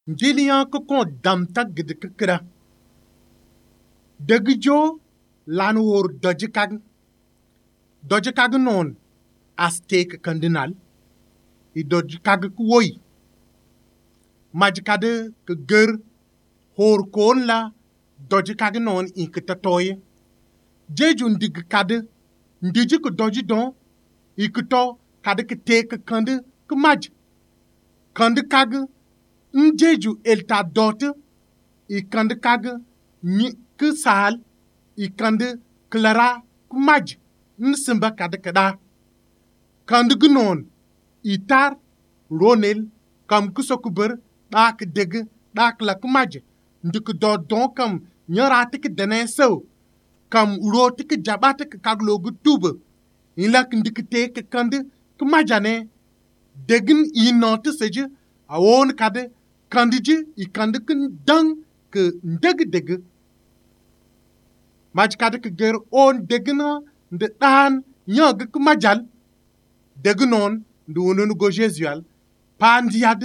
Njiliyan ko kon damta gidi kikira. Dagi jo lan wor doji kag. Doji kag non aztek kandinal. I doji kag kuwoi. Majikade ke ger hor kon la doji kag non in kitatoye. Jeju ndig kade ndiji ko doji don ikito kade ke teke kande ke maj. Kande kag njeju elta dote I kande kag ni ke sal I kande klara kumaj nsimba kade kada. Kande gnon itar ronel kam kusokuber dak deg dak la kumaj ndik do don kam nyarate ke dene so kam uroti ke jabate ke kaglo gutube ilak ndik te ke kande kumajane degin inote seje awon kade kandiji I kande kin dang ke ndeg deg maj kade ke ger on degna nde dan nyag ke majal degnon ndu wonon go jesual pandiad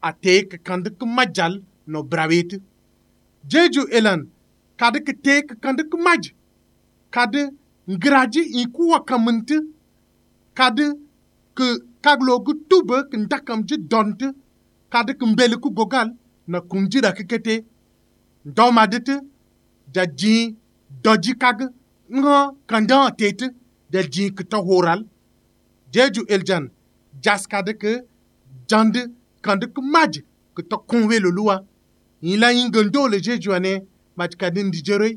ate ke kande ke majal no brawet jeju elan kade ke te ke kande ke maj kade ngraji I kuwa kamante kade ke kaglo gu tube ke ndakam je donte kade ke mbele ku gogal na kunjira kekete ndomadete da ji doji kag ngo kandan tete da ji kto horal jeju eljan jas kade ke jande kande ke maj ke to konwe lo luwa ila ingendo le jeju ane maj kade ndi jere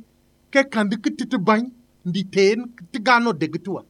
ke kande ke tete bany ndi ten tigano degtua